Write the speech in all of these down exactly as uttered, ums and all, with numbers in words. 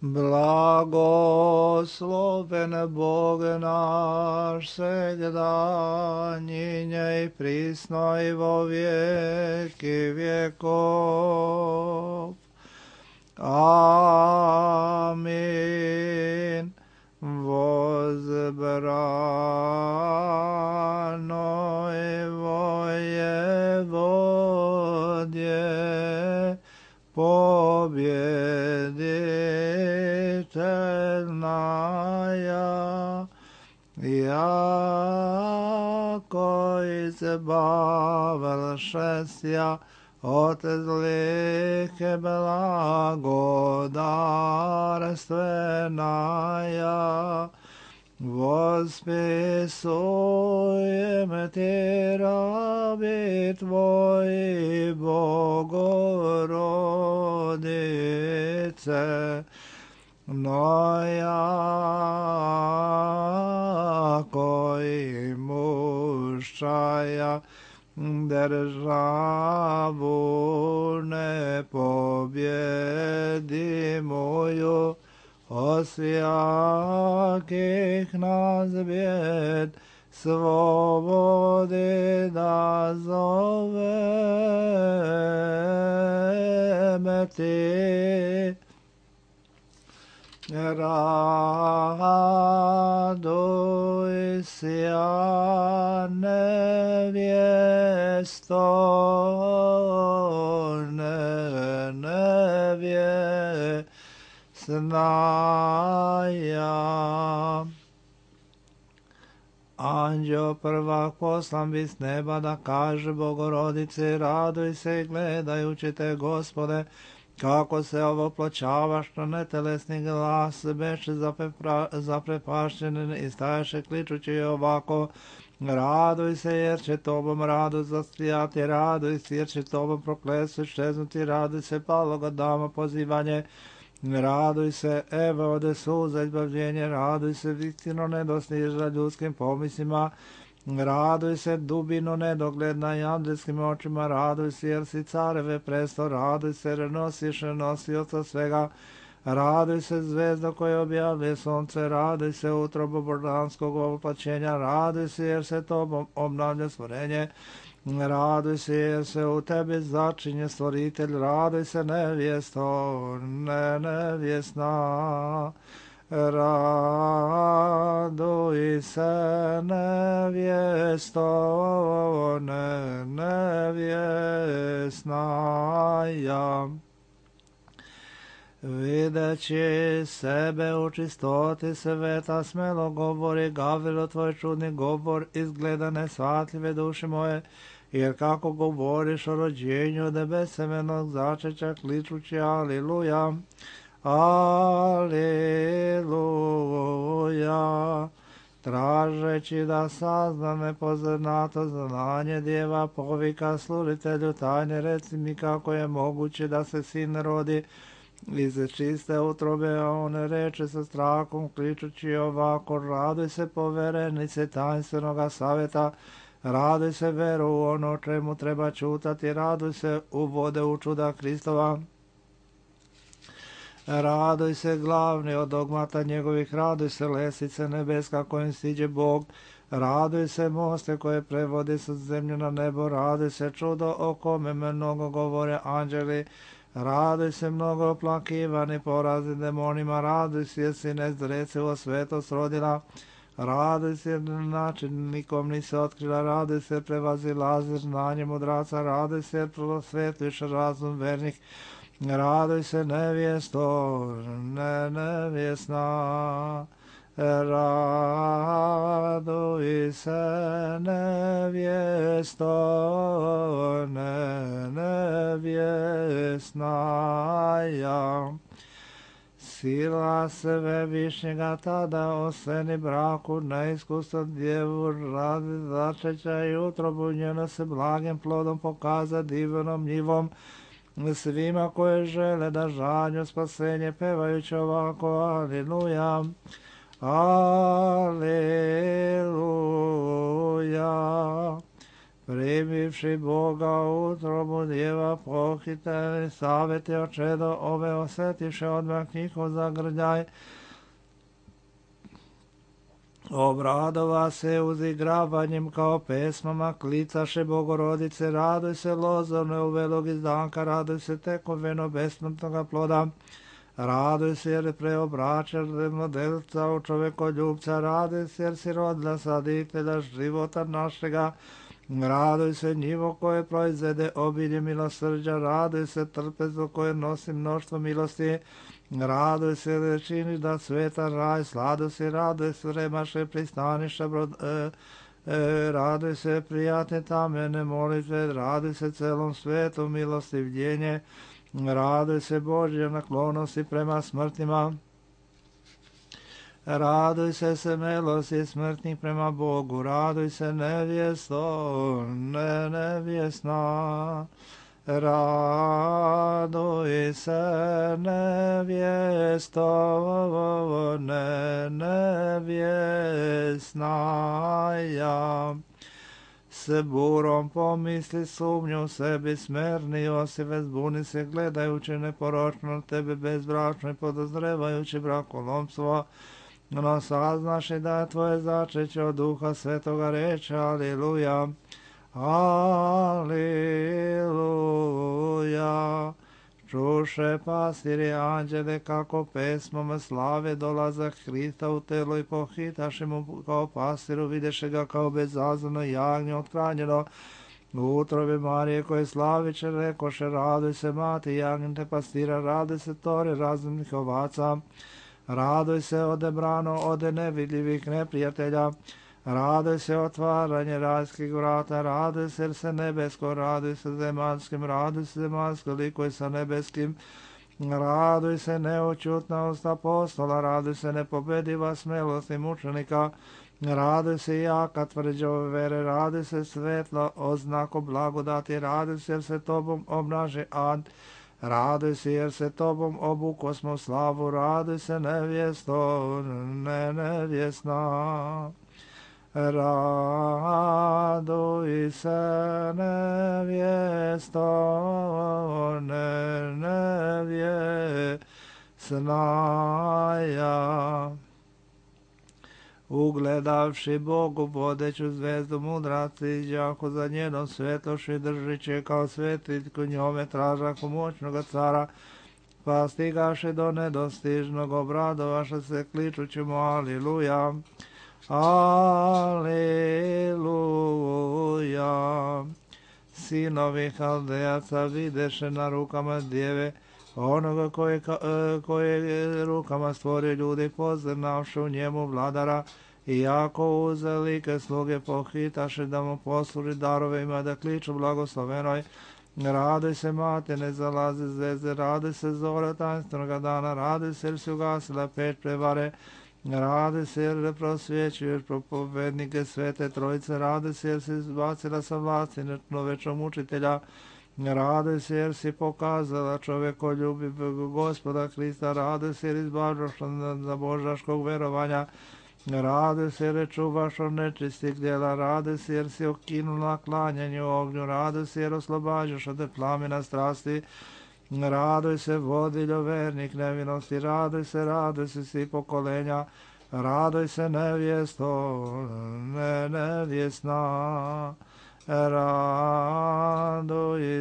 Blagosloven Bog naš, segda, njinje i prisno i vo vijeki vjekov. Amin. Возбрано его Еводье, победительная, яко избавившися от злых благодарственная, восписуем Ти раби Твои, Богородице, но яко имущая державу непобедимую, освяких нас бед, свободы дозовем Ти. Радуйся, невесто, невестная. Anđeo prvak poslan bi s neba da kaže Bogorodici, raduj se gledajući te, Gospode, kako se ovoploćavaš na netelesni glas, beše zaprepašćen i staješe kličući ovako, raduj se jer će tobom radu zaslijati, raduj se jer će tobom prokletstvo iščeznuti, raduj se paloga dama pozivanje, raduj se, evo ode suza izbavljenje, raduj se, istino ne dostiža ljudskim pomislima, raduj se, dubino nedogledna i andelskim očima, raduj se jer si careve presto, raduj se jer nosiš nosioca svega, raduj se zvezda koja objavlje sunce, raduj se utrobo božanskog oplaćenja, raduj se jer se tobom obnavlja stvorenje, raduj se jer se u tebi začinje stvoritelj, raduj se nevjesto, ne nevjesna, raduj se nevjesto, ne nevjesnaja. Videći sebe u čistoti sveta, smelo govori Gavrilo, tvoj čudni govor, izgleda nesvatljive duše moje, jer kako govoriš o rođenju debesemenog začeća, kličući aliluja, aliluja, tražeći da sazna nepoznato znanje djeva, povika sluditelju tajne, reci mi kako je moguće da se sin rodi iz čiste utrobe, a on reče sa strahom, kličući ovako, raduj se poverenice tajnstvenog savjeta, raduj se veru u ono čemu treba čutati, raduj se u vode u čuda Kristova, raduj se glavni od dogmata njegovih, raduj se lesice nebeska kojim stiđe Bog, raduj se moste koje prevodi sa zemlju na nebo, raduj se čudo o kome mnogo govore anđeli, raduj se mnogo oplakivani porazi demonima, raduj se jer si nezrecivo svetost rodila, raduj se jer na način nikom nisi otkrila, raduj se prevazilaziš znanje mudraca, raduj se jer prosvetliš razum vernih, raduj se nevjesto, ne nevjesna, raduj se nevjesto, ne nevjesnaja. Sila Svevišnjega tada oseni braku, neiskustva djevu radi začeća i utrobu njeno se blagim plodom pokaza divnom njivom, svima koje žele da žanju spasenje, pevajući ovako, aliluja, aliluja. primivši Boga u utrobu djeva pohiteli, saveti očedo ove osjetiše odmah njihov zagrljaj. Obradova se uzigravanjem kao pesmama, klicaše Bogorodice, raduj se lozorne u velog izdanka, raduj se tekoveno besmrtnoga ploda, raduj se jer preobraćaš modelca u čovekoljubca, raduj se jer si rodila saditelja života našega, raduj se njivo koje proizvede obilje milosrđa, raduj se trpezu koje nosi mnoštvo milosti, raduj se jer činiš da sveta raj, sladu si, raduj se vremaše pristaniša, brod, e, e, raduj se prijatne tamene molitve, raduj se celom svetu milostivljenje, raduj se Božje naklonosti prema smrtima, raduj se smelosti smrtnih prema Bogu, raduj se nevjesto, ne nevjesna, raduj se nevjesto, ne nevjesna ja. S burom pomisli sumnju sebi smerni Josife, zbuni se gledajući neporočno na tebe bezbračno i podozrevajući brakolomstvo, no saznaši da je tvoje začeće od Duha Svetoga reče, aliluja, aliluja. Čuše pastiri anđele kako pesmama slave dolazak Hrista u telo i pohitaše mu kao pastiru, videše ga kao bezazleno jagnje othranjeno u utrobi Marije koje slaviće, rekoše, raduj se mati jagnjete pastira, raduj se tori razumnih ovaca, raduj se ode brano ode nevidljivih neprijatelja, raduj se otvaranje rajskih vrata, raduj se jer se nebesko, raduj se zemaljskim, raduj se zemaljsko likuje sa nebeskim, raduj se neočutna usta apostola, raduj se nepobediva smelost i mučenika, raduj se jaka tvrđa ove vere, raduj se svetla oznako blagodati, raduj se jer se tobom obnaže ad, raduj se jer se tobom obukosmo slavu, raduj se nevjesto, ne nevjesna. Raduj se nevjesto, ne nevjesna ja. Ugledavši Bogu vodeću zvezdu mudraci, iđahu za njenom svetloši, držiće kao svetiljku njome tražahu moćnoga cara, pa stigaše do nedostižnog, obradovaše se kličući mu aliluja. Aleluja. Sinovi Haldejaca videše na rukama djeve onoga koje, koje rukama stvorio ljudi, poznavši u njemu vladara, i jako uzeli sluge pohitaše da mu posluži darovima, da kliču blagoslovenoj. Raduj se mate, ne zalazi zvezde, raduj se zora tajnstvenog dana, raduj se jer si ugasila peć prevare, raduj se jer prosvjećuješ propovednike svete trojice, raduj se jer si izbacila sa vlasti nečovečnog mučitelja, raduj se jer si pokazala čovekoljubiv Gospoda Hrista, raduj se jer izbavljaš za božaškog verovanja, raduj se jer čuvaš od nečistih djela, raduj se jer si okinula klanjanje u ognju, raduj se jer oslobađaš od plamena strasti, raduj se vodiljo vernik nevinosti, raduj se, raduj se svi pokolenja, raduj se nevjesto, ne nevjesna, raduj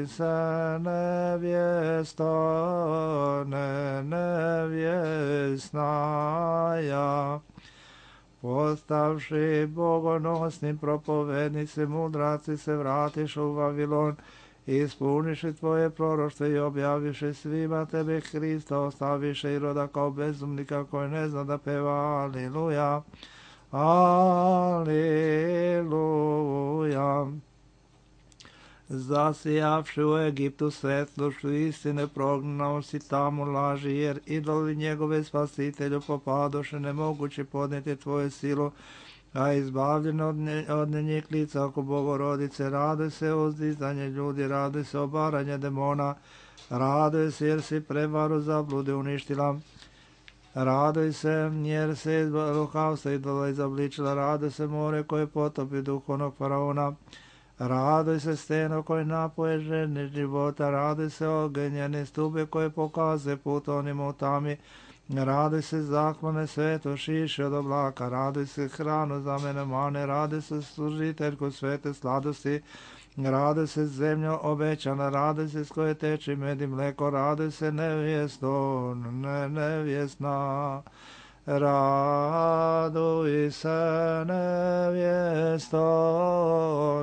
se nevjesto, ne nevjesna ja. Postavši bogonosni propovednici, mudraci se vratiš u Vavilon, ispuniši tvoje proroštvo i objaviše svima tebe Hrista, ostaviše i roda kao bezumnika koji ne zna da peva aliluja, aliluja. Zasijavši u Egiptu svetlošću istine, prognao si tamo laži, jer idoli njegove spasitelju popadoše, nemoguće podnijeti tvoju silu, a izbavljeno od, nje, od njih lica oko Bogorodice, raduj se uzdizanje ljudi, raduj se obaranje demona, raduj se jer si prevaru zablude uništila, raduj se jer se iz lukavstva idola izobličila, raduj se more koje potopi duh onog faraona, Raduj se steno koji napoje žene života, raduj se ogenjene stube koje pokaze put onima u tami, raduj se zaklone sveto šiše od oblaka, raduj se hranu za mene mane, raduj se služiteljku svete sladosti, raduj se zemljo obećana, raduj se s koje teče med i mleko, raduj se nevjesto, ne nevjesna. Raduj se nevjesto,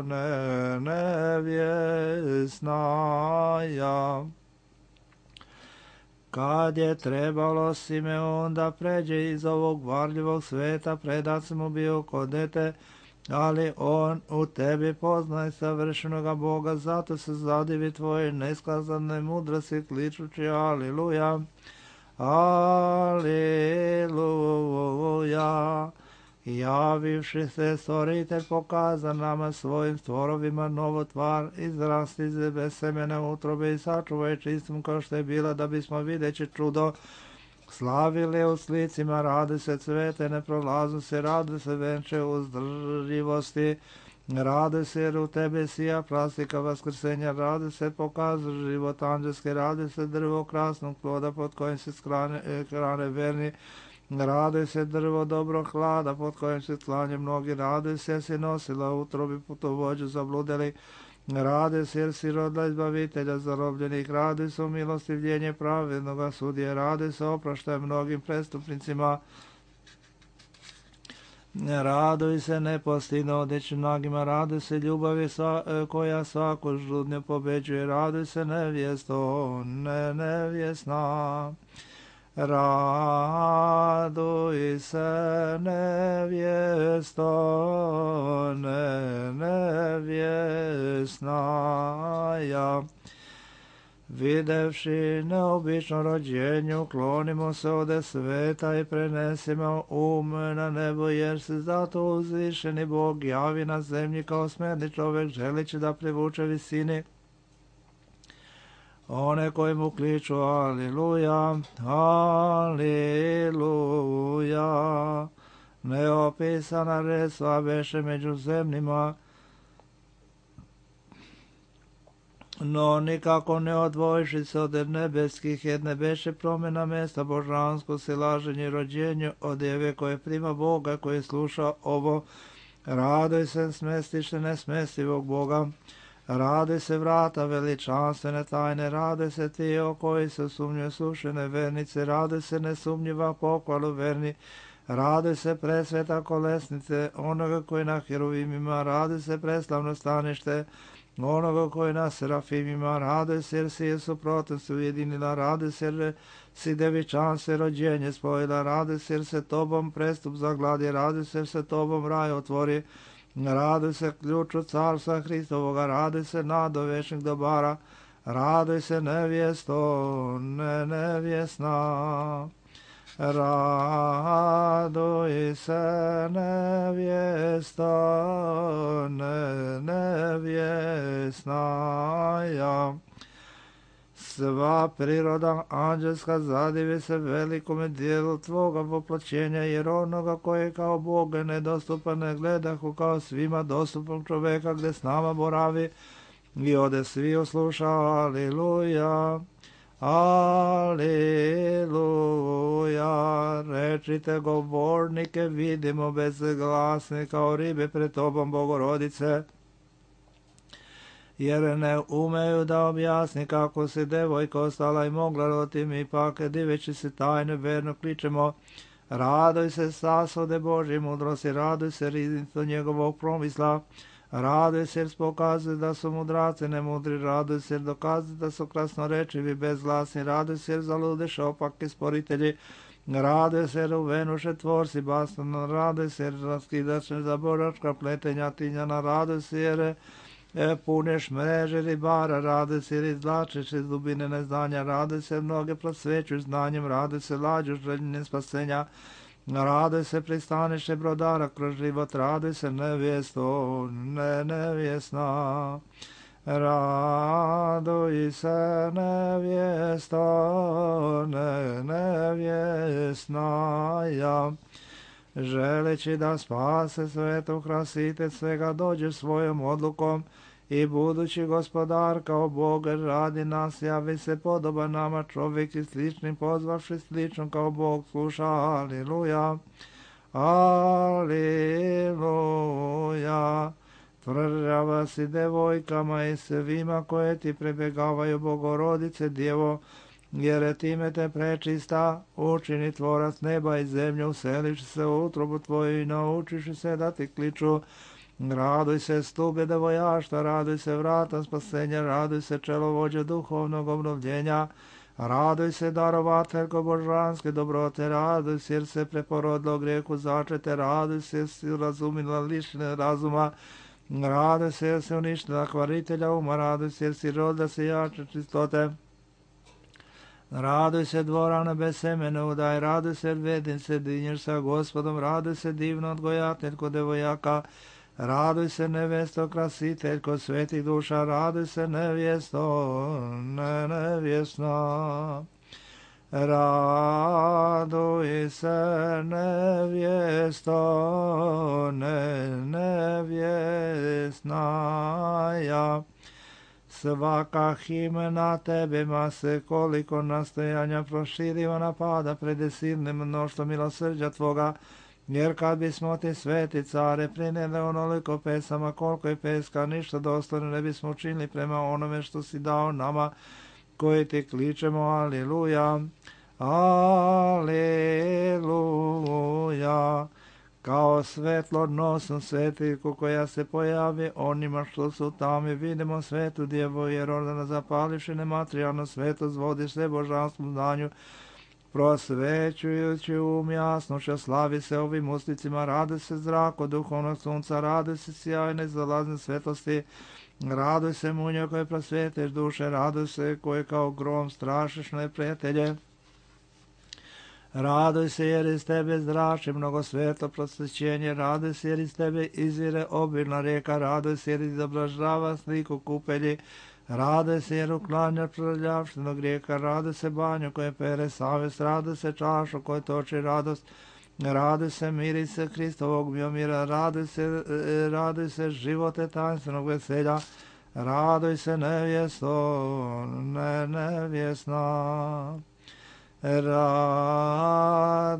ne nevjesna ja. Kad je trebalo Simeon da pređe iz ovog varljivog sveta, predat mu bio kod dete, ali on u tebi poznaje savršenoga Boga, zato se zadivi tvoje neskazane mudrosti kličući aliluja. Aleluja. Javivši se stvoritelj pokaza nama svojim stvorovima novo tvar, izrasti bez semena utrobe i sačuvaj čistom kao što je bila, da bismo videći čudo slavili u slicima, radi se cvete neprolaznosti, radi se venče uzdrživosti, radi se jer u tebe sija plastika vaskrsenja, radi se pokaza život anđelski, radi se drvo krasnog ploda pod kojim se skrane, krane verni, radi se drvo dobro hlada pod kojim se klanje mnogi, radi se jer si nosila utrobi putovođu zabludeli, radi se jer si rodila izbavitelja zarobljenih, radi se o milostivljenje pravednoga sudije, radi se opraštaj mnogim prestupnicima, raduj se nepostidno odeći nagima, raduj se ljubavi sva, koja svaku žudnju pobeđuje, raduj se nevjesto, ne nevjesna. Raduj se nevjesto, ne nevjesna ja. Videvši neobično rođenju, klonimo se ode sveta i prenesimo um na nebo, jer se zato uzvišeni Bog javi na zemlji kao smjerni čovjek, želići da privuče visini one koji mu kliču aliluja, aliluja. Neopisana resva beše među zemljima, no nikako ne odvojiši se od nebeskih, jedne beše promjena mjesta božansko silaženje i rođenju od djeve koje prima Boga, koji sluša ovo. Raduj se smestiše nesmestivog Boga, raduj se vrata veličanstvene tajne, raduj se ti o koji se sumnjuje sušene vernice, raduj se nesumnjiva pohvalu verni, raduj se presveta kolesnice onoga koji na heruvimima, raduj se preslavno stanište onoga koji na serafimima, raduj se jer si je suprotnost ujedinila, raduj se jer si devičanstvo rođenje spojila, raduj se jer se tobom prestup zagladi, raduj se jer se tobom raj otvori, raduj se ključu carstva Hristovoga, raduj se nado večnih dobara, raduj se nevjesto, ne nevjesna. Raduj se nevjesto, ne nevjesna ja. Sva priroda anđelska zadivi se velikome dijelu tvoga voplaćenja, jer onoga koji kao Bog nedostupan ne gledahu kao svima dostupan čoveka gdje s nama boravi i ode svi usluša aliluja. Aleluja, rečite govornike, vidimo bezglasne kao ribe pred tobom, Bogorodice, jer ne umeju da objasni kako si devojka ostala i mogla roditi, mi pak diveći se tajne verno kličemo, raduj se sasode Božje mudrosti, raduj se riznicu njegovog promisla, raduj se jer pokazuje da su mudraci nemudri, raduj se jer dokazuje da su krasnorečivi bezglasni, raduj se jer zaludeše opaki sporitelji, raduj se jer uvenuše tvorci bastan, raduj se jer raskidaše za boračka pletenja tinjana, raduj se jer e, puneš mreže ribara, raduj se jer izvlačeš iz dubine neznanja, raduj se jer mnoge prosvećuš znanjem, raduj se lađuš željne spasenja, raduj se pristaniše brodara kroz život, raduj se nevjesto, ne nevjesna. Raduj se nevjesto, ne nevjesna ja. Želeći da spase svetu krasite svega, dođe svojom odlukom i budući gospodar kao Bog radi nas, javi se podoban nama čovjek i sličnim pozvavši slično kao Bog sluša. Aliluja, aliluja. Tvrđava si devojkama i svima koje ti prebjegavaju, Bogorodice Djevo, jer time te prečista, učini tvorac neba i zemlje, useliš se u utrobu tvoju i naučiš se da ti kliču. Raduj se stube devojašta, raduj se vrata spasenja, raduj se čelovođe duhovnog obnovljenja, raduj se darovateljko božanske dobrote, raduj se jer se preporodilo grijehu začete, raduj se jer si razumila lišne razuma, raduj se jer si uništila kvaritelja uma, raduj se jer si rodila se jače čistote. Raduj se dvorane bez semena udaj, raduj se jer vedin se dinješ sa Gospodom, raduj se divno odgojateljko devojaka, raduj se nevesto krasiteljko svetih duša, raduj se nevjesto, ne nevjesna. Raduj se nevjesto, ne nevjesnaja. Svaka himna tebima se koliko nastojanja proširiva napada pred silnim mnoštvom milosrđa tvoga, jer kad bismo ti sveti care prinijeli onoliko pesama koliko je peska, ništa dostojno ne bismo učinili prema onome što si dao nama koji ti kličemo. Aliluja, aliluja. Kao svetlo nosom svetiljku koja se pojavi onima što su tamo, vidimo svetu djevu jer ordana zapalivši nematerijalno svetost vodiš se božanskom znanju, prosvećujući um jasnošća, slavi se ovim usticima, radi se zrak od duhovnog sunca, radi se sjajne zalazne svetosti, raduj se munjo koje prosvjeteš duše, raduj se koje kao grom strašiš neprijatelje. Raduj se jer iz tebe zrači mnogo svetlo prosvećenje, raduj se jer iz tebe izvire obilna rijeka, raduj se jer izobražava sliku kupelji, raduj se jer uklanja prljavštinu grijeha, raduj se banju koje pere savjest, raduj se čašu koje toči radost, raduj se miri se Hristovog biomira, raduj se, raduj se živote tajnstvenog veselja, raduj se nevjesto, ne nevjesna. Raduj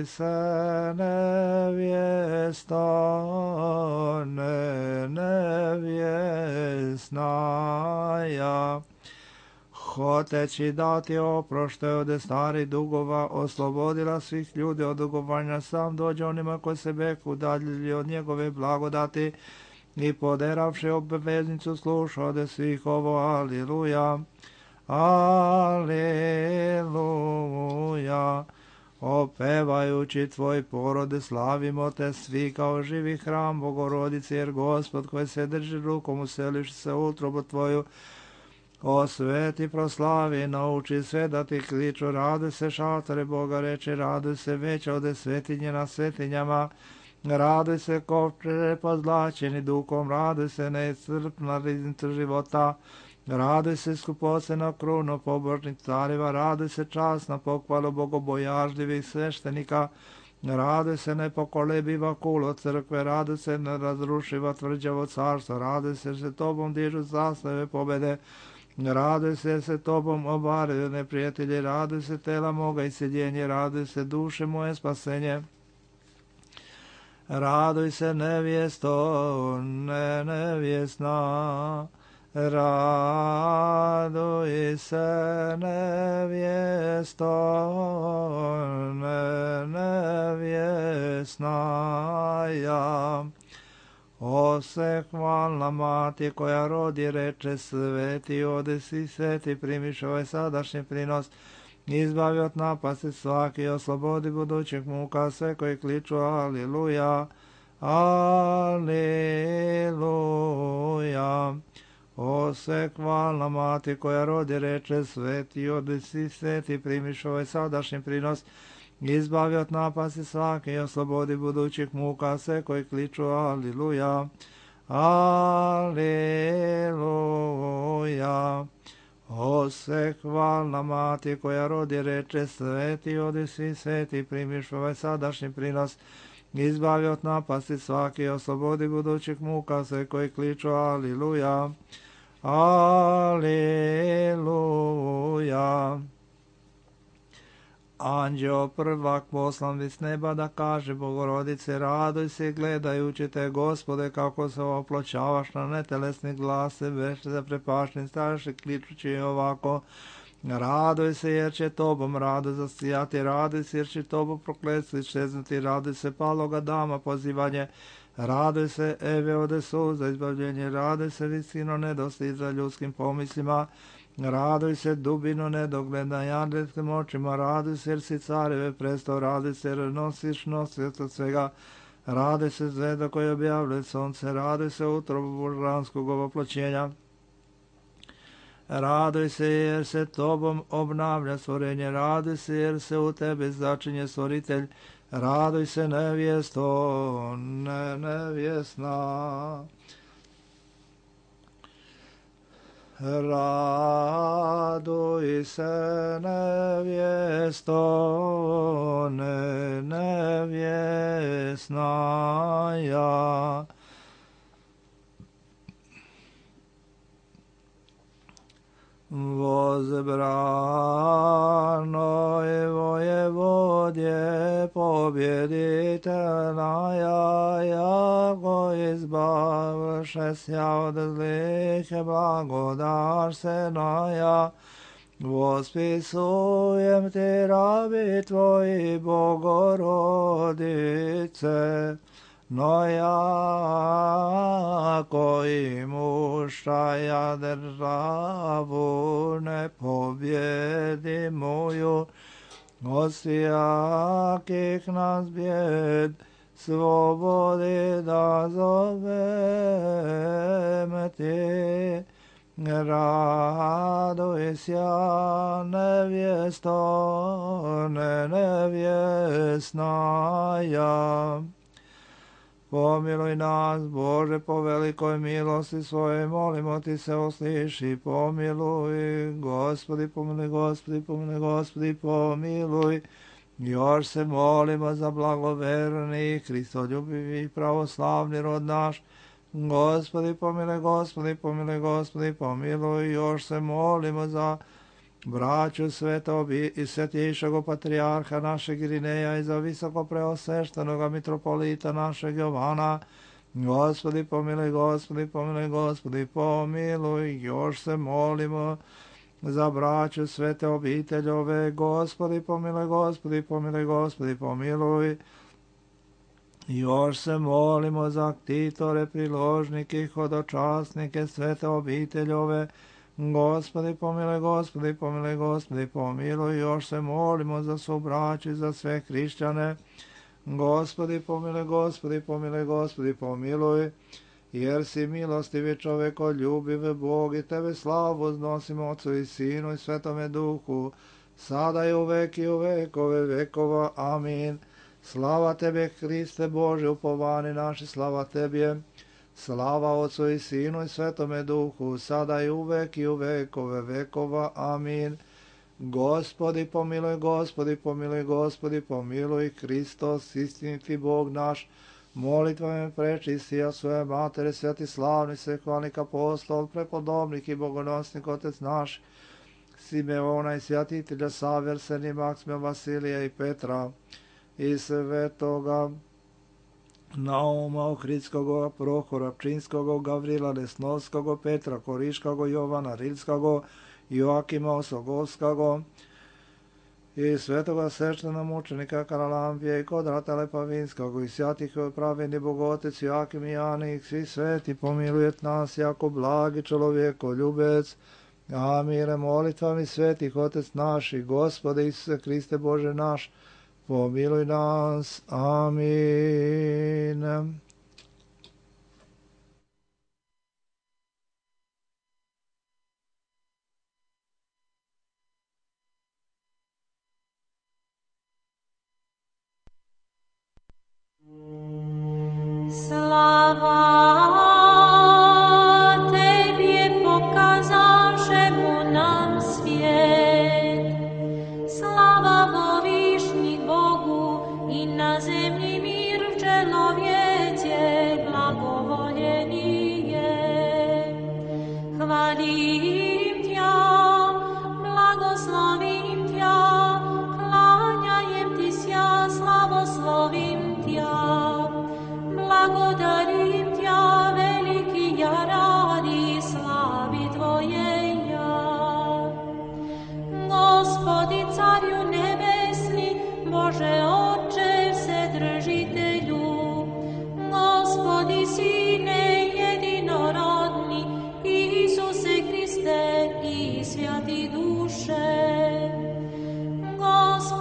se nevjesto, ne nevjesnaja. Hoteći dati oprošte od starih dugova, oslobodila svih ljudi od dugovanja, sam dođe onima koji se beku udaljili od njegove blagodati i poderavši obveznicu sluša od svih ovo. Aliluja. Aleluja. Opevajući tvoj porode slavimo te svi kao živi hram Bogorodice, jer Gospod koji se drži rukom useliš se u utrobu tvoju, osveti proslavi, nauči sve da ti kliču, raduj se šatore Boga reče, raduj se veća ode svetinje na svetinjama, raduj se kovčere pozlačeni dukom, raduj se neiscrpna riznica života, raduj se skupocena krunu pobožnih careva, raduj se časna pohvalu bogobojažljivih sveštenika, raduj se nepokolebiva kulo crkve, raduj se nerazrušiva tvrđavo carstvo, raduj se se tobom dižu zastave pobede, raduj se se tobom obaraju neprijatelji, raduj se tela moga i sjedjenje, raduj se duše moje spasenje. Raduj se nevjesto, ne nevjesna. Raduj se nevjesto, ne nevjesnaja. O se hvalna mati koja rodi reče, sveti odesi, sveti primiš ovaj sadašnji prinos, izbavi od napasti svaki, oslobodi budućeg muka sve koji kliču. Aliluja, aliluja. O se hvalna mati koja rodi reče, sveti odesi, sveti primiš ovaj sadašnji prinos, izbavi od napasti svaki i oslobodi budućih muka sve koji kliču. Aliluja, aliluja. O se hvalna mati koja rodi reče, sveti odesi, sveti primiš ovaj sadašnji prinos, izbavi od napasti svaki, oslobodi budućih muka sve koji kliču aliluja, aliluja. Anđeo prvak poslan s neba da kaže Bogorodice, raduj se gledajući te, Gospode, kako se opločavaš na netelesni glas, već zaprepašten staše kličući ovako, raduj se jer će tobom rado zasijati, raduj se jer će tobom prokletstvi čeznuti, raduj se paloga dama pozivanje, raduj se Eve ode suza izbavljenje, raduj se visino nedosti za ljudskim pomislima, raduj se dubino nedogled na jadljetskim očima, raduj se jer si careve prestao, raduj se jer nosiš nosioca svega, raduj se zvezda koja objavljuje sonce, raduj se utrobu božanskog ovoploćenja, raduj se jer se tobom obnavlja stvorenje, raduj se jer se u tebi začinje stvoritelj, raduj se nevjesto, ne nevjesna. Raduj se nevjesto, ne nevjesna ja. Возбранoj vojevodje pobjeditelja, jako izbavše sja od zlih, blagodaš se naja. Vospisujem ti rabi tvoji, Bogorodice, no ja koji mušaja državu ne pobjedi moju, od svijakih nas bjed slobodi da zovem ti. Raduj sja nevjesto, ne nevjesna ja. Pomiluj nas, Bože, po velikoj milosti svojoj, molimo ti se, usliši, pomiluj, Gospodi, pomiluj, Gospodi, pomiluj, Gospodi, pomiluj. Još se molimo za blagoverni, Hristoljubivi, pravoslavni rod naš, Gospodi, pomiluj, Gospodi, pomiluj, Gospodi, pomiluj. Još se molimo za braću svetog i svetijšeg patrijarha našeg Irineja i za visoko preosveštenoga mitropolita našeg Jovana. Gospodi pomiluj, Gospodi pomiluj, Gospodi pomiluj. Još se molimo za braću svete obiteljove. Gospodi pomiluj, Gospodi pomiluj, Gospodi pomiluj. Još se molimo za ktitore, priložnike, hodočasnike svete obiteljove. Gospodi pomiluj, Gospodi pomiluj, Gospodi pomiluj. Još se molimo za svu braću i za sve hrišćane. Gospodi pomiluj, Gospodi pomiluj, Gospodi pomiluj. Jer si milostivi čoveko, ljubiv Bog, i tebe slavu uznosimo Otcu i Sinu i Svetome Duhu, sada i u vek i u vekove vekova. Amin. Slava tebe, Hriste Bože, upovani naši, slava tebi. Slava Otcu i Sinu i Svetome Duhu, sada i uvek i u vekove vekova. Amin. Gospodi pomiluj, Gospodi pomiluj, Gospodi pomiluj. Hristos, istiniti Bog naš, molitvama prečistija svoje matere, sveti slavni svehvalnik apostol, prepodobnik i bogonosnik Otec naš, Simeona i svjatitelja Saverseni, Maksima, Vasilija i Petra, i svetoga Nauma, Ohridskog, Prohora, Pčinskog, Gavrila Lesnovskog, Petra Koriškog, Jovana Rilskog, Joakima Osogovskog, i svetoga sveštena mučenika Karalampije i Kodrata Lepavinskog, i svjatih pravedni Bogotec Joakim i Janik, svi sveti pomilujet nas, jako blagi čovjeko ljubec. Amire molitvami svetih Otec naš i Gospode Isuse Hriste Bože naš, pomiluj nas. Amin. Slava Tebie pokazašemu nam svijet, slava vo višnjih Bogu i na zemlji mir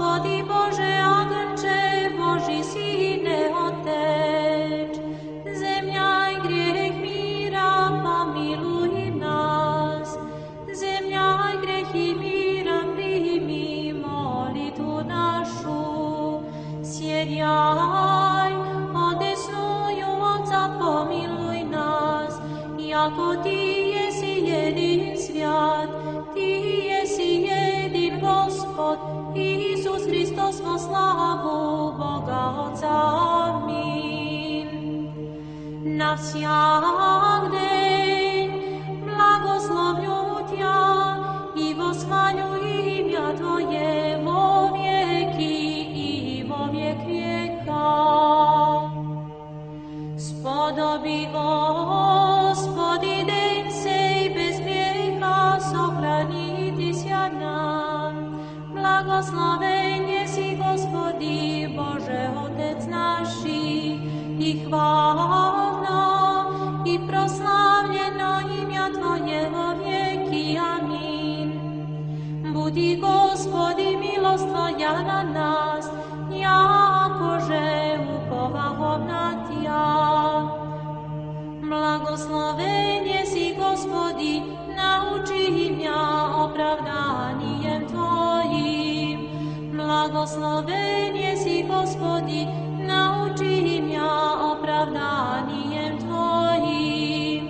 Gospodi Bože, Agnče Boži, Sine Oteč, zemlja i grijeh mira, pomiluj nas. Zemlja i grijeh i mira, primi molitvu našu. Sjedjaj, odesnuju Otca, pomiluj nas, jako Ti jesi jedin svijat, Ti jesi jedin Gospod, Isus Hristos, po slavu Boga Otca. Amin. Na всяк день благословлю Тя и восхвалю имя Твое во веки и во век века. Сподоби, Господи, день сей без греха сохранитеся нам. Благословен еси, Господи, Боже, Отец наши, и хвално, и прославljeno имя Твое во веки. Амин. Буди, Господи, милост Твоя на нас, якоже уповахом на Тя. Благословен еси, Господи, научи меня оправданием Твоим. Благословен еси, Господи, научи меня оправданием Твоим.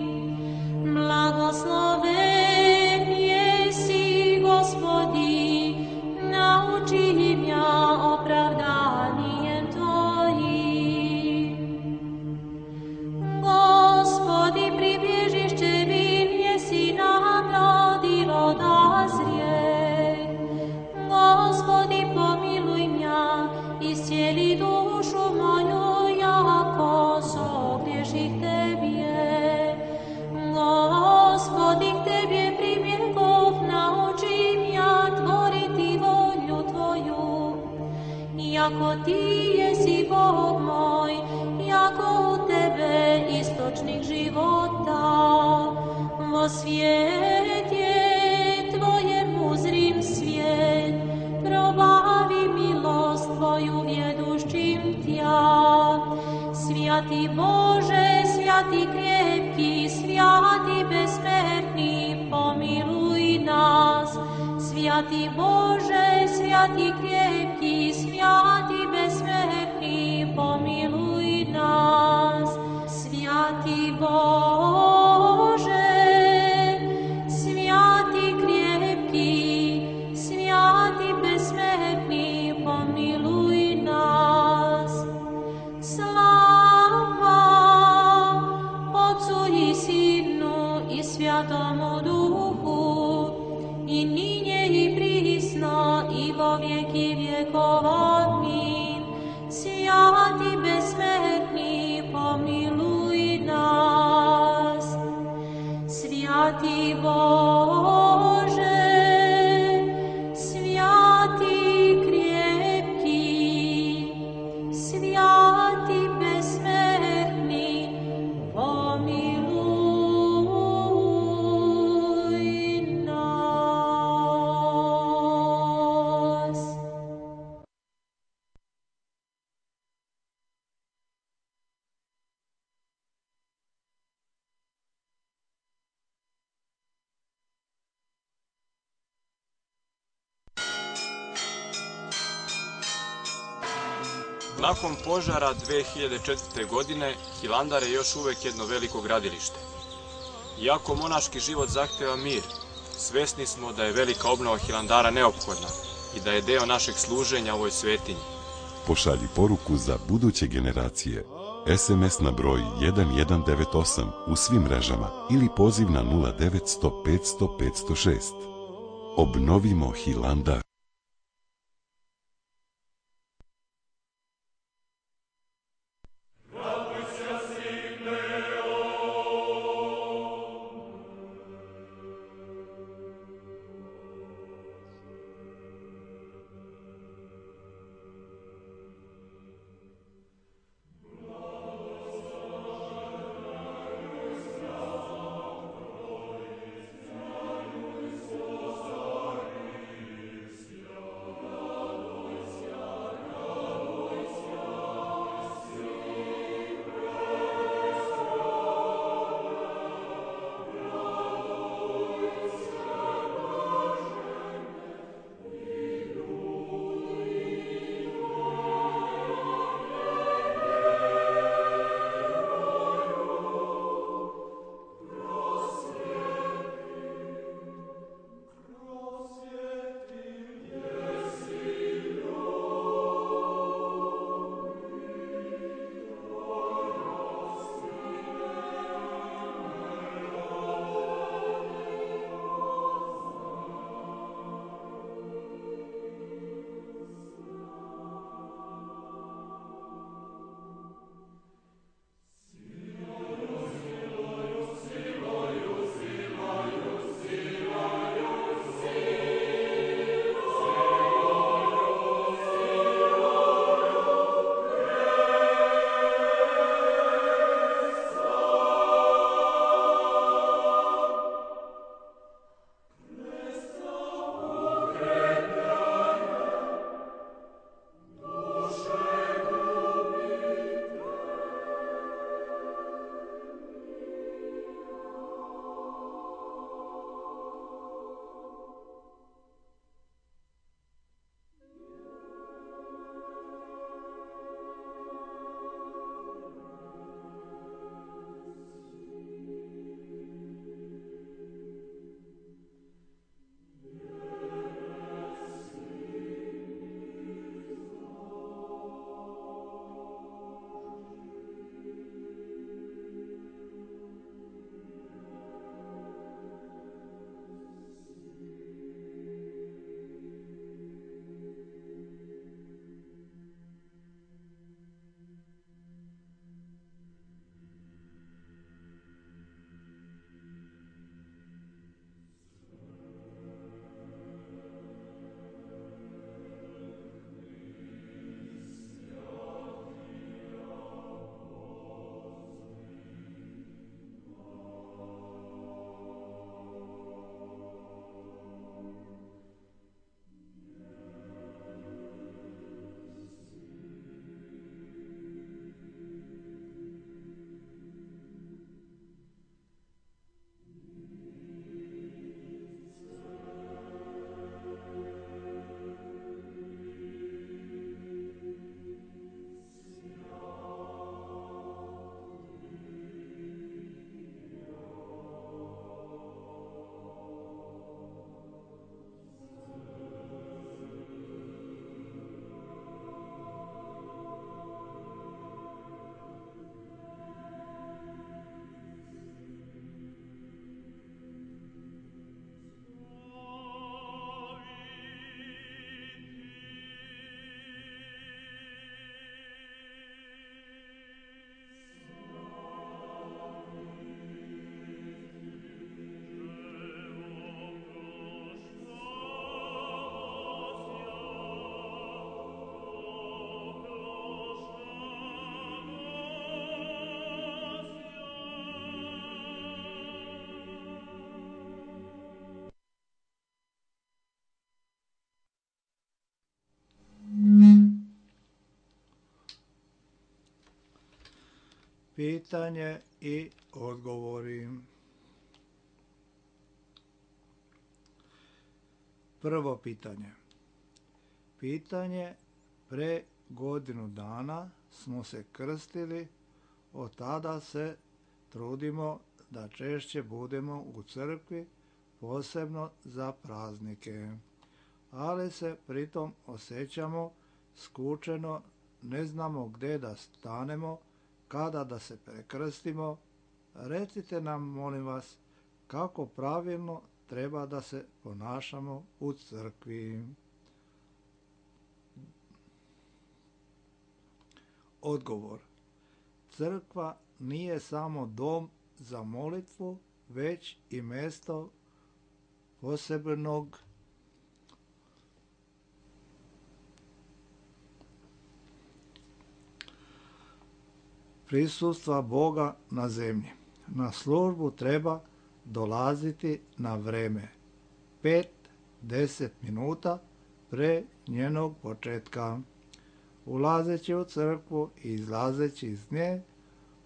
Благословен еси, Господи, научи меня оправданием Твоим. Господи, прибежище мир еси нам, родило дозреть. Господи, помилуй меня, исцели душу мою, яко согреших Тебе. Господи, к Тебе прибегов, научи меня творить волю Твою. Яко Ти еси Бог мой, яко у Тебе источник живота. Во свете Твоем узрим свет, пробави милост Твою ведущим Тя. Святый Боже, святый крепкий, святый бессмертный, помилуй нас. Святый Боже, святый крепкий, святый бессмертный, помилуй нас. Святый Боже, святый крепкий, святый бессмертный, помилуй нас. Слава Отцу и Сыну и Святому Духу, и ныне и присно, и во веки веков. Аминь. Святый бессмертный, помилуй нас. Святый Боже, святый крепкий, святый бессмертный, помилуй нас. Nakon požara dve hiljade četvrte. godine, Hilandar je još uvek jedno veliko gradilište. Iako monaški život zahteva mir, svesni smo da je velika obnova Hilandara neophodna i da je deo našeg služenja ovoj svetinji. Pošalji poruku za buduće generacije. es em es na broj jedan jedan devet osam u svim mrežama ili poziv na nula devet sto petsto petsto šest. Obnovimo Hilandar. Pitanje i odgovori. Prvo pitanje. Pitanje: pre godinu dana smo se krstili, od tada se trudimo da češće budemo u crkvi, posebno za praznike, ali se pritom osjećamo skučeno, ne znamo gdje da stanemo, kada da se prekrstimo. Recite nam, molim vas, kako pravilno treba da se ponašamo u crkvi. Odgovor. Crkva nije samo dom za molitvu, već i mjesto posebnog prisustva Boga na zemlji. Na službu treba dolaziti na vreme, pet do deset minuta pre njenog početka. Ulazeći u crkvu i izlazeći iz nje,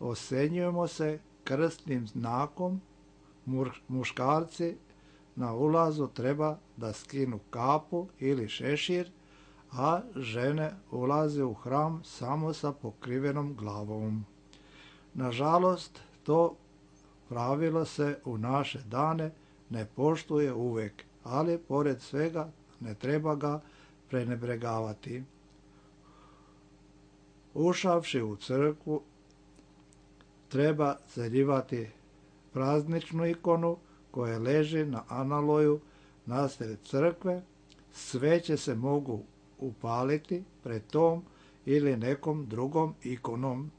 osjenjujemo se krstnim znakom. Muškarci na ulazu treba da skinu kapu ili šešir, a žene ulaze u hram samo sa pokrivenom glavom. Nažalost, to pravilo se u naše dane ne poštuje uvek, ali pored svega ne treba ga prenebregavati. Ušavši u crkvu, treba zaljivati prazničnu ikonu koja leži na analoju nasred crkve. Sveće se mogu upaliti pred tom ili nekom drugom ikonom.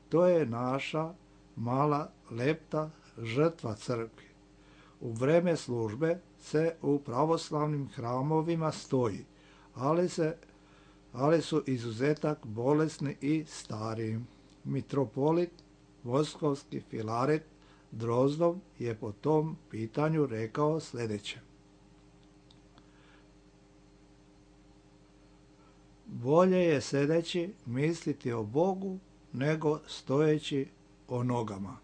To je naša mala lepta žrtva crkvi. U vreme službe se u pravoslavnim hramovima stoji, ali, se, ali su izuzetak bolesni i stari. Mitropolit Moskovski Filaret Drozdov je po tom pitanju rekao sljedeće: bolje je sedeći misliti o Bogu nego stojeći o nogama,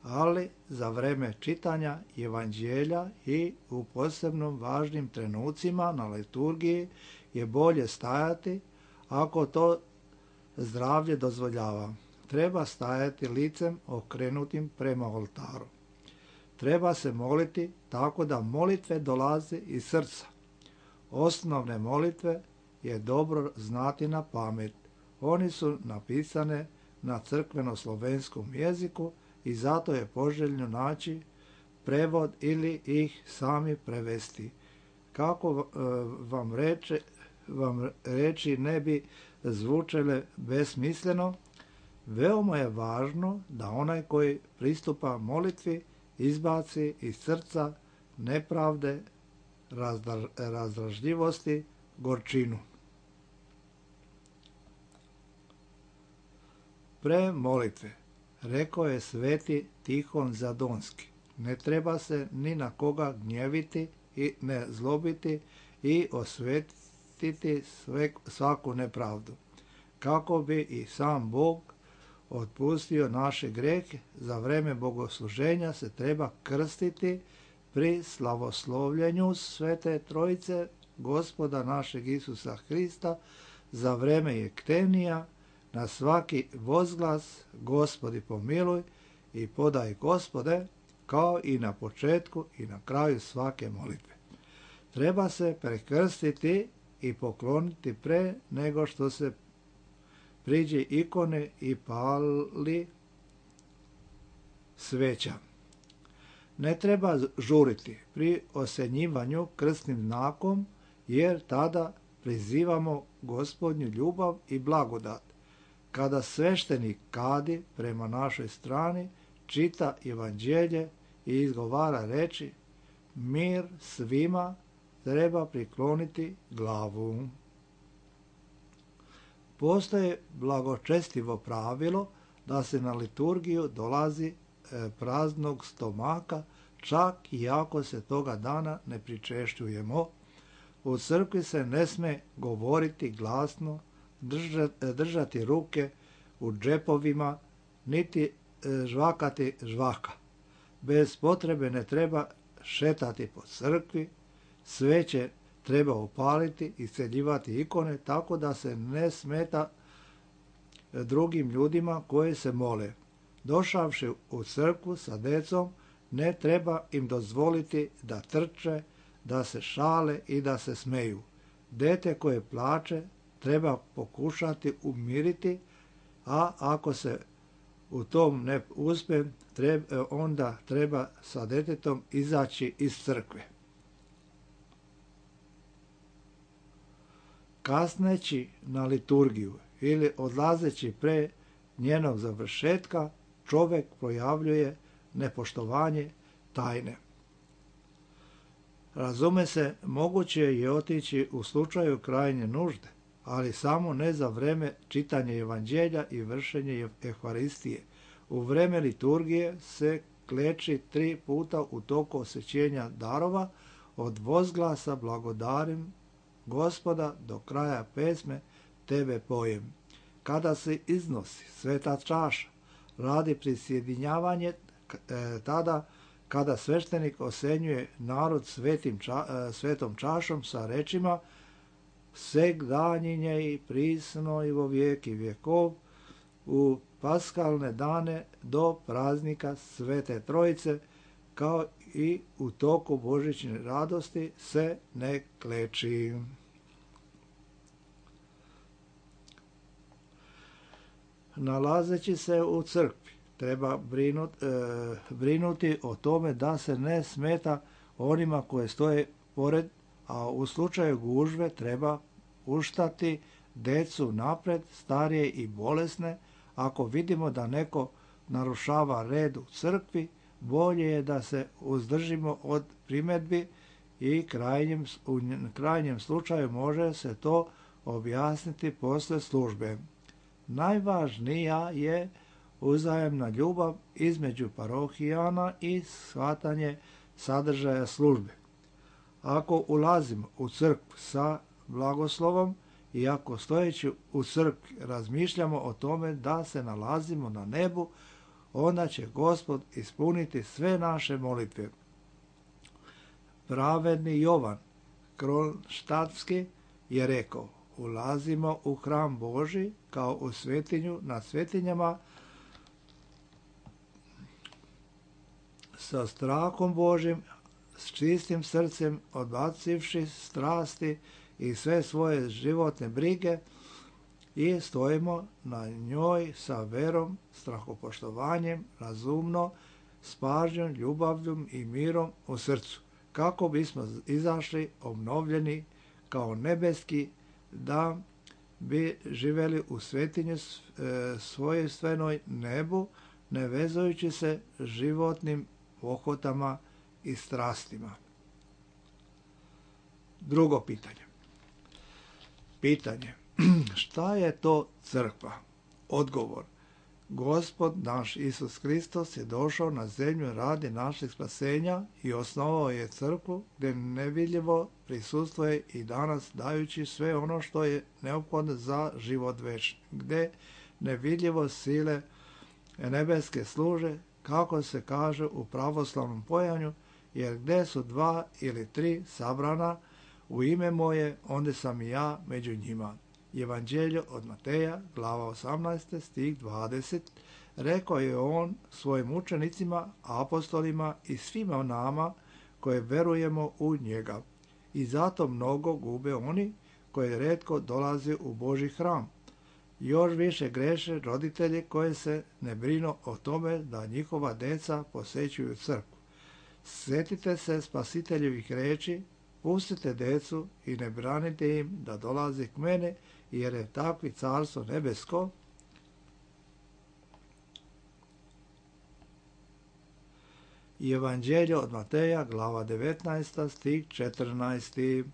ali za vreme čitanja evanđelja i u posebno važnim trenucima na liturgiji je bolje stajati, ako to zdravlje dozvoljava. Treba stajati licem okrenutim prema oltaru. Treba se moliti tako da molitve dolaze iz srca. Osnovne molitve je dobro znati na pamet. Oni su napisane na crkveno-slovenskom jeziku i zato je poželjno naći prevod ili ih sami prevesti. Kako vam, reče, vam reči ne bi zvučele besmisleno, veoma je važno da onaj koji pristupa molitvi izbaci iz srca nepravde, razdražljivosti, gorčinu. Pre molitve, rekao je sveti Tihon Zadonski, ne treba se ni na koga gnjeviti i ne zlobiti i osvetiti sve, svaku nepravdu, kako bi i sam Bog otpustio naše grehe. Za vreme bogosluženja se treba krstiti pri slavoslovljenju Svete Trojice Gospoda našeg Isusa Hrista, za vreme jektenija, na svaki vozglas Gospodi pomiluj i podaj Gospode, kao i na početku i na kraju svake molitve. Treba se prekrstiti i pokloniti pre nego što se priđe ikone i pali sveća. Ne treba žuriti pri osjenjivanju krstnim znakom, jer tada prizivamo Gospodnju ljubav i blagodat. Kada sveštenik kadi prema našoj strani, čita evanđelje i izgovara reči mir svima, treba prikloniti glavu. Postoji blagočestivo pravilo da se na liturgiju dolazi praznog stomaka, čak i ako se toga dana ne pričešćujemo. U crkvi se ne sme govoriti glasno, držati ruke u džepovima, niti žvakati žvaka. Bez potrebe ne treba šetati po crkvi, sveće treba upaliti i isceljivati ikone tako da se ne smeta drugim ljudima koji se mole. Došavši u crkvu sa decom, ne treba im dozvoliti da trče, da se šale i da se smeju. Dete koje plače treba pokušati umiriti, a ako se u tom ne uspije, treba, onda treba sa detetom izaći iz crkve. Kasneći na liturgiju ili odlazeći pre njenog završetka, čovjek projavljuje nepoštovanje tajne. Razume se, moguće je otići u slučaju krajnje nužde, ali samo ne za vreme čitanja evanđelja i vršenje Euharistije. U vreme liturgije se kleči tri puta u toku osvećenja darova, od vozglasa blagodarim Gospoda do kraja pesme Tebe pojem. Kada se iznosi sveta čaša, radi prisjedinjavanje, tada kada sveštenik osenjuje narod svetim ča, svetom čašom sa rečima seg danjinje i prisno i vo vijeki vjekov, u paskalne dane do praznika Svete Trojice, kao i u toku božićne radosti se ne kleči. Nalazeći se u crkvi, treba brinuti, e, brinuti o tome da se ne smeta onima koje stoje pored, a u slučaju gužve treba puštati decu napred, starije i bolesne. Ako vidimo da neko narušava red u crkvi, bolje je da se uzdržimo od primjedbi i krajnjem, u krajnjem slučaju može se to objasniti posle službe. Najvažnija je uzajemna ljubav između parohijana i shvatanje sadržaja službe. Ako ulazimo u crkvu sa blagoslovom i ako stojeći u crkvi razmišljamo o tome da se nalazimo na nebu, onda će Gospod ispuniti sve naše molitve. Pravedni Jovan Kronštatski je rekao: ulazimo u hram Božji kao u svetinju nad svetinjama sa strahom Božjim, s čistim srcem, odbacivši strasti i sve svoje životne brige, i stojimo na njoj sa verom, strahopoštovanjem, razumno, s pažnjom, ljubavljom i mirom u srcu, kako bismo izašli obnovljeni kao nebeski, da bi živjeli u svetinju svojstvenoj nebu, ne vezujući se životnim pohotama i strastima. Drugo pitanje. Pitanje. Šta je to crkva? Odgovor. Gospod naš Isus Hristos je došao na zemlju radi našeg spasenja i osnovao je crkvu gdje nevidljivo prisustvuje i danas, dajući sve ono što je neophodno za život večni, gdje nevidljivo sile nebeske služe, kako se kaže u pravoslavnom pojanju, jer gdje su dva ili tri sabrana u ime moje, onda sam i ja među njima. Evanđelje od Mateja, glava osamnaesta, stih dvadeset, rekao je on svojim učenicima, apostolima i svima nama koje verujemo u njega. I zato mnogo gube oni koji retko dolaze u Božji hram. Još više greše roditelji koji se ne brinu o tome da njihova deca posećuju crkvu. Sjetite se spasiteljevih reči: pustite decu i ne branite im da dolaze k mene, jer je takvi carstvo nebesko. Evanđelje od Mateja, glava devetnaesta, stih četrnaesti.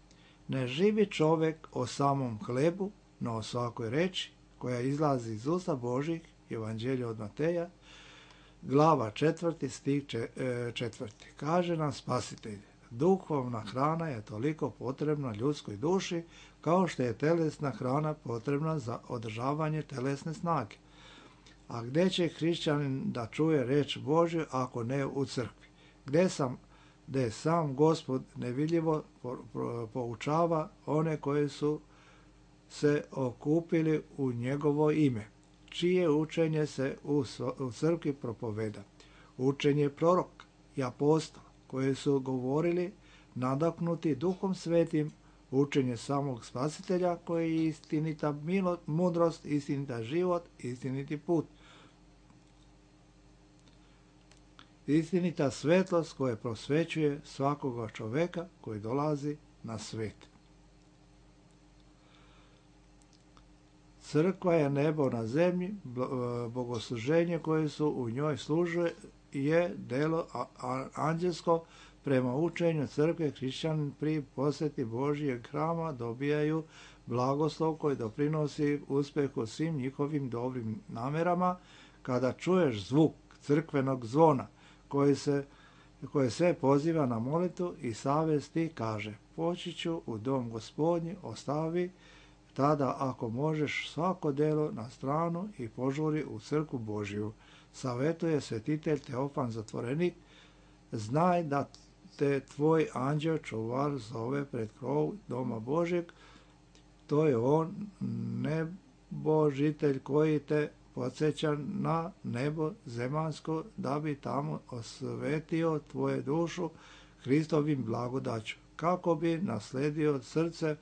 Ne živi čovjek o samom hlebu, no o svakoj reči koja izlazi iz usta Božih. Evanđelje od Mateja, glava četvrti, stih četvrti. Kaže nam Spasitelj: duhovna hrana je toliko potrebna ljudskoj duši kao što je telesna hrana potrebna za održavanje telesne snage. A gdje će hrišćanin da čuje reč Božju ako ne u crkvi? Gdje sam, gdje sam Gospod nevidljivo poučava one koji su se okupili u njegovo ime, čije učenje se u, u crkvi propoveda. Učenje proroka i apostola koji su govorili nadahnuti Duhom Svetim, učenje samog Spasitelja koji je istinita milo, mudrost, istinita život, istiniti put. Istinita svetlost koja prosvećuje svakoga čoveka koji dolazi na svet. Crkva je nebo na zemlji, bogosluženje koje su u njoj služe je delo anđelsko. Prema učenju crkve hrišćanin pri posjeti Božijeg hrama dobijaju blagoslov koji doprinosi uspjehu svim njihovim dobrim namerama. Kada čuješ zvuk crkvenog zvona koji se, koje sve poziva na molitvu i savez ti kaže: poći ću u dom Gospodnji, ostavi tada ako možeš svako delo na stranu i požuri u crkvu Božiju. Savjetuje svetitelj Teofan Zatvorenik: znaj da te tvoj anđeo čuvar zove pred krov doma Božeg, to je on, nebožitelj koji te podsjeća na nebo zemaljsko, da bi tamo osvetio tvoje dušu Hristovim blagodaću, kako bi nasledio srce,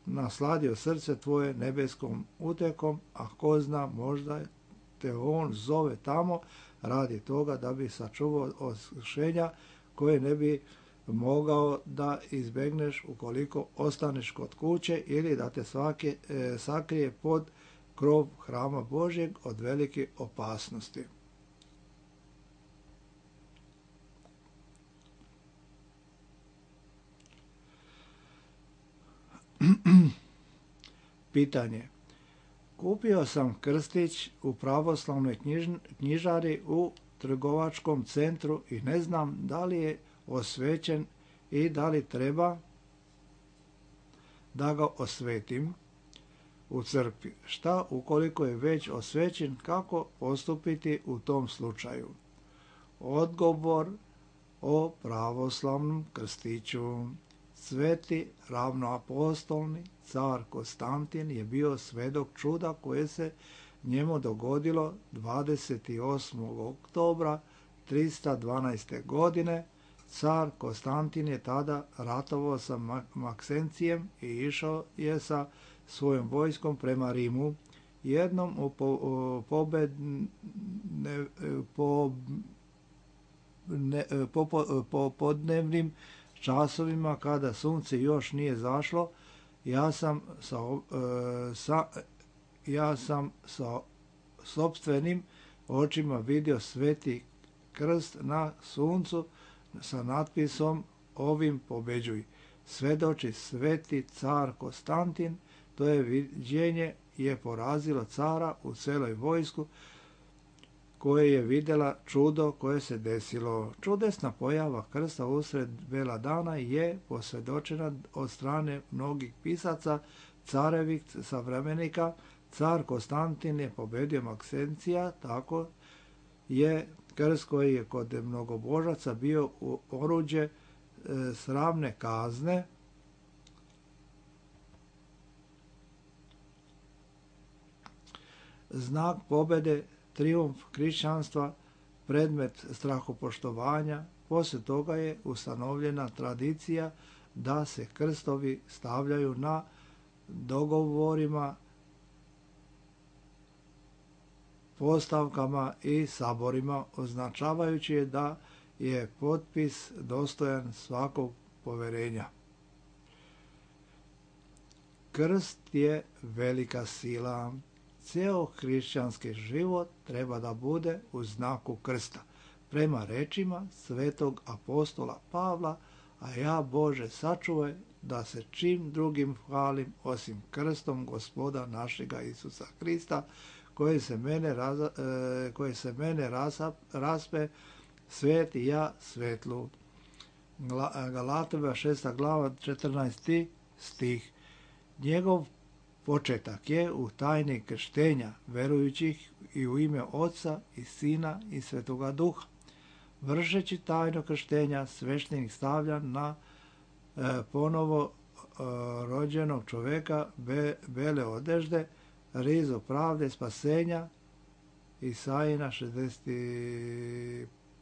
nasladio srce tvoje nebeskom utekom, a ko zna, možda te on zove tamo radi toga da bi sačuvao oskušenja koje ne bi mogao da izbegneš ukoliko ostaneš kod kuće ili da te svake, e, sakrije pod krov hrama Božjeg od velike opasnosti. Pitanje. Kupio sam krstić u pravoslavnoj knjiž, knjižari u trgovačkom centru i ne znam da li je osvećen i da li treba da ga osvetim u crkvi. Šta ukoliko je već osvećen, kako postupiti u tom slučaju? Odgovor o pravoslavnom krstiću. Sveti ravnoapostolni car Konstantin je bio svedok čuda koje se njemu dogodilo dvadeset osmog oktobra tristo dvanaeste. godine. Car Konstantin je tada ratovao sa Maksencijem i išao je sa svojom vojskom prema Rimu. Jednom u po, pobedne, po, ne, po, po, po podnevnim časovima kada sunce još nije zašlo, ja sam sa, sa, ja sam sa sopstvenim očima vidio sveti krst na suncu sa natpisom ovim pobeđuj. Svedoči sveti car Konstantin, to je viđenje je porazilo cara u celoj vojsku koje je vidjela čudo koje se desilo. Čudesna pojava krsta usred bela dana je posvjedočena od strane mnogih pisaca, carevih savremenika. Car Konstantin je pobedio Maksencija, tako je krst koji je kod mnogobožaca bio u oruđe e, sramne kazne, znak pobede, trijumf hrišćanstva, predmet strahopoštovanja. Poslije toga je ustanovljena tradicija da se krstovi stavljaju na dogovorima, postavkama i saborima, označavajući je da je potpis dostojan svakog poverenja. Krst je velika sila. Cijel hrišćanski život treba da bude u znaku krsta. Prema rečima svetog apostola Pavla, a ja Bože sačuvaj da se čim drugim hvalim osim krstom Gospoda našega Isusa Hrista, koji se mene, raza, e, koji se mene rasa, raspe, svet i ja svetlu. Galatova šesta glava četrnaesti stih. Njegov početak je u tajni krštenja verujućih i u ime Oca i Sina i Svetoga Duha. Vršeći tajno krštenja, sveštenik stavlja na e, ponovo e, rođenog čoveka be, bele odežde, rizo pravde, spasenja, Isajina šezdeset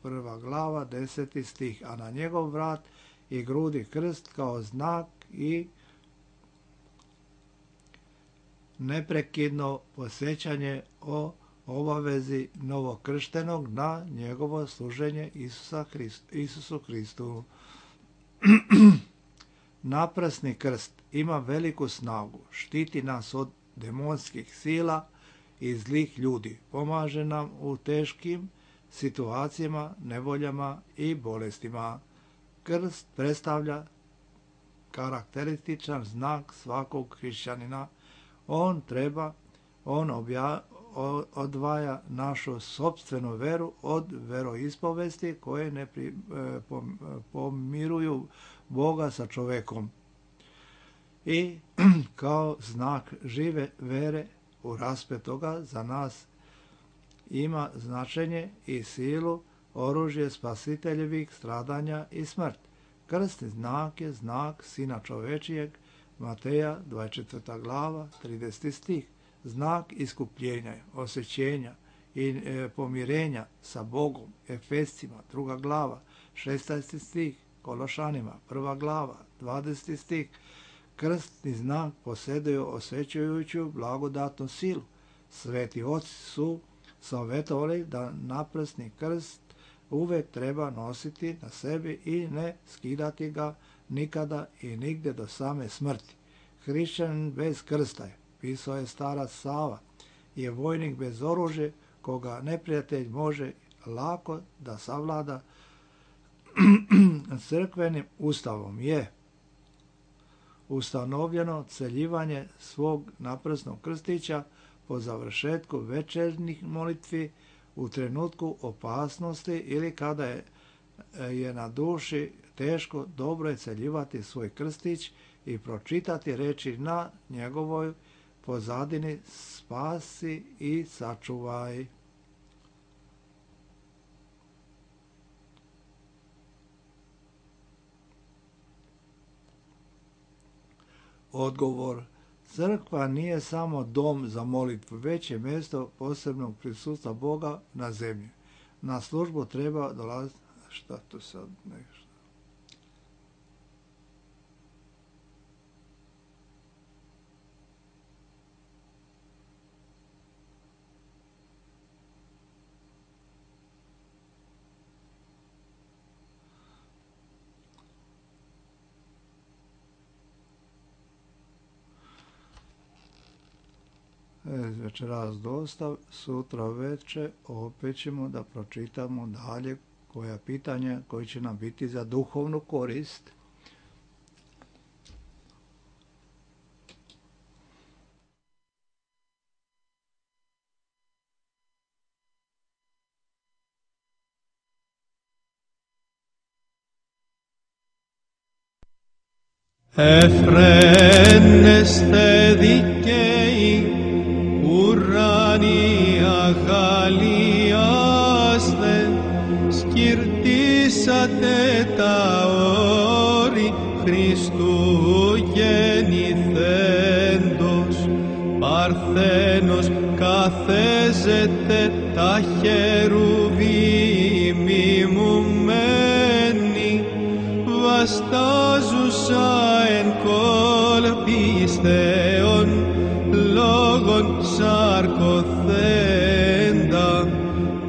prva glava, deseti stih, a na njegov vrat i grudi krst kao znak i neprekidno posjećanje o obavezi novokrštenog na njegovo služenje Isusa Hrist, Isusu Hristu. Naprasni krst ima veliku snagu, štiti nas od demonskih sila i zlih ljudi, pomaže nam u teškim situacijama, nevoljama i bolestima. Krst predstavlja karakterističan znak svakog hrišćanina. On treba, on obja, odvaja našu sopstvenu veru od veroispovesti koje ne pri, e, pomiruju Boga sa čovekom. I kao znak žive vere u raspetoga za nas ima značenje i silu oružje spasiteljevih stradanja i smrt. Krstni znak je znak Sina čovečijeg, Mateja dvadeset četvrta glava, trideseti stih. Znak iskupljenja, osjećenja i e, pomirenja sa Bogom, Efescima, druga glava, šesnaesti stih, Kološanima, prva glava, dvadeseti stih. Krstni znak posjeduje osvećujuću blagodatnu silu. Sveti oci su savjetovali da naprasni krst uvek treba nositi na sebi i ne skidati ga nikada i nigde do same smrti. Hrišćanin bez krsta je, pisao je starac Sava, je vojnik bez oružja koga neprijatelj može lako da savlada. Crkvenim ustavom je ustanovljeno celjivanje svog naprasnog krstića po završetku večernjih molitvi u trenutku opasnosti ili kada je, je na duši teško, dobro je celjivati svoj krstić i pročitati reči na njegovoj pozadini: spasi i sačuvaj. Odgovor: crkva nije samo dom za molitvu, već je mjesto posebnog prisustva Boga na zemlji. Na službu treba dolaziti... Šta to sad nešto? Večeras dosta, sutra veče opet ćemo da pročitamo dalje koja pitanja koji će nam biti za duhovnu korist. Εφραίνεστε δικαίοι, ουράνοι αγαλιάστε, σκυρτήσατε τα όρη Χριστού γεννηθέντος, παρθένος καθέζεται τα χερουβίμ μιμουμένη, βαστάζουσα εν κολπίστεων λόγων σαρκοθέντα,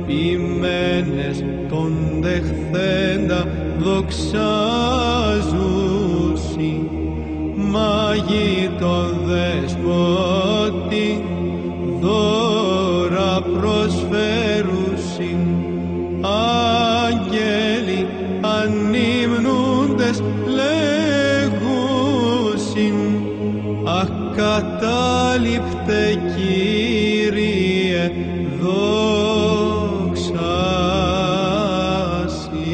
ποιμένες τον δεχθέντα δοξάζουσι, μάγοι τον δεσπότη δώρα προσφέρουσι, άγγελοι ανύμνουντες λέγουσιν, ακατάληπτε Κύριε δόξα Σοι.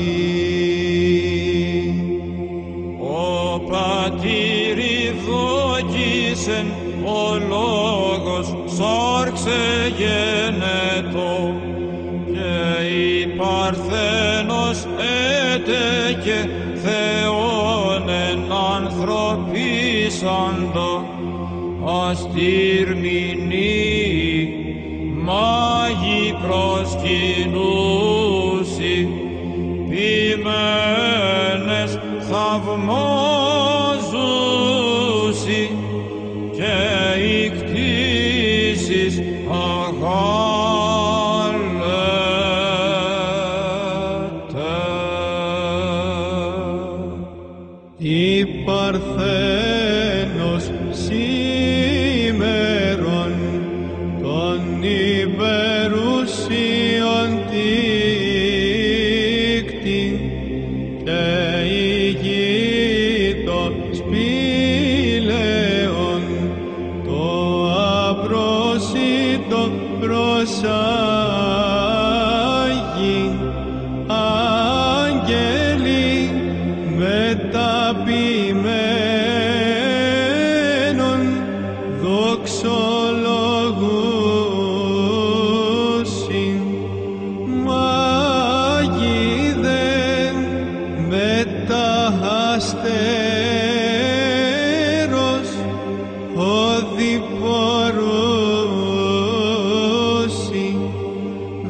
Ο Πατήρι δόκισεν, ο λόγος σάρξε γενε έτο και η Παρθένος έτεκε Θεόν εν ανθρωπίσαντο αστήρμηνοι μάγοι προσκυνούσι ποιμένες θαυμάζουσι και οι κτήσεις αγάλετε. Η Παρθένος σήμερον των υπερουσίων τίκτη και ηγείτο σπήλαιον το απρόσιτο προσάγει άγγελοι μεταποιημένων δοξολογούσιν μάγοι δεν μεταχαστέρος οδηπορούσι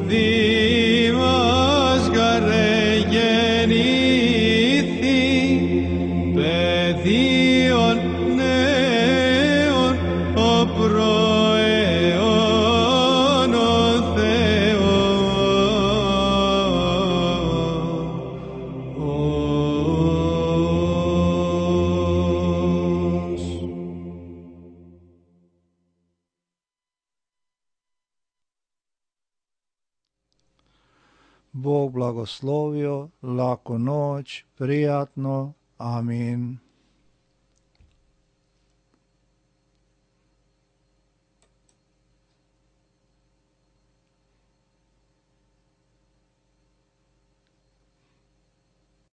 δήμας γαρε γεννήθη παιδίον νέων ο προαιών ο Θεός. Bog blagoslovio, laku noć, prijatno, amin.